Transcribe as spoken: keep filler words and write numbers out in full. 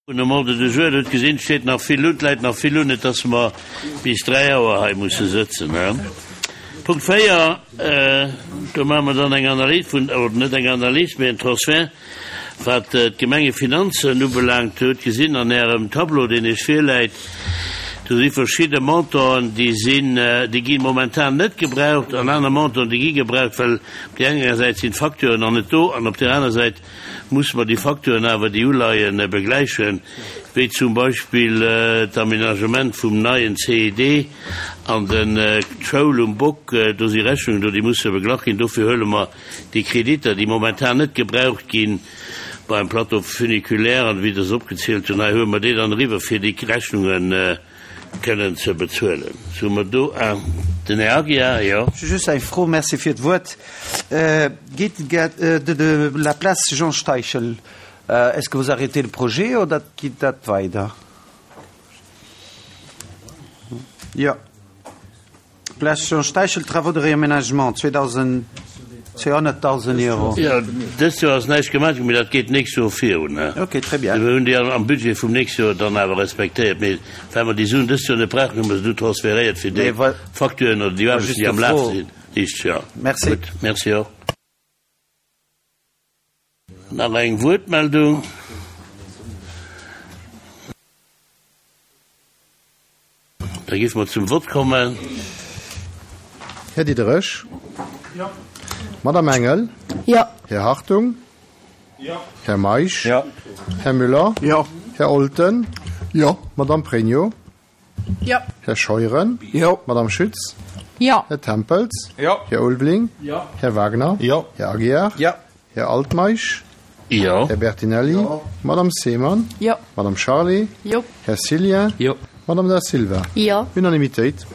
Un um Ordre du jour, hutt gesinn, steet nach vill un, läit nach vill un, net dass mer bis dräi Auer hei musse sëtzen. Punkt véier, do maache mer dann eng Analys vun, oder net eng Analys, mee en Transfert, wat d'Gemengefinanzen ubelaangt. Dir hutt gesinn an Ärem Tableau, deen Iech virläit, do si verschidde Montanten, déi sinn, déi gi momentan net gebraucht, an aner Montanten, déi gi gebraucht, well op där enger Säit sinn d'Facturen nach net do an op där aner Säit muss mer déi Facturen awer, déi uleien, begläichen, wéi zum Beispill d'Aménagement vum neien C I D an den d'Schoul um Bock. Do si Rechnungen do, déi musse beglach ginn. Dofir huele mer déi Kreditter, déi momentan net gebraucht ginn, beim Plateau funiculaire an wéi Der se opgezielt hunn hei, huele mer déi dann eriwwer, fir déi Rechnunge kënnen ze bezuelen. Sou mer do den Här Aguiar, jo. Just eng Fro, merci fir d'Wuert. Geet de de la place Jean Steichel, est-ce que vous arrêtez le projet oder geet dat weider? Jo. Place Jean Steichel, travaux de réaménagement, zweehonnerttausend Euro. Jo, dëst Joer ass näischt gemaach ginn, mee dat geet d'nächst Joer virun. Ok, très bien. Mir hunn déi am Budget vum nächste Joer dann awer respektéiert, mee well mer déi Suen dëst Joer net brauchen, hu mer se du transféréiert fir déi Facturen oder déi Aarbechten, déi am Laf sinn. Richteg, jo. Merci. Gutt, merci och. Nach eng Wuertmeldung? Da géife mer zum Vott kommen. Här Diderich? Jo. Madame Engel? Jo. Här Hartung? Jo. Här Meisch? Jo. Här Müller? Jo. Här Olten? Jo. Madame Pregno? Jo. Här Scheuren? Jo. Madame Schütz? Jo. Här Tempels? Jo. Här Ulveling? Jo. Här Wagner? Jo. Här Aguiar? Jo. Här Altmeisch? Jo. Här Bertinelli? Jo. Madame Seemann? Jo. Madame Charlé? Jo. Här Cillien? Jo. Madame Da Silva? Jo. Unanimitéit.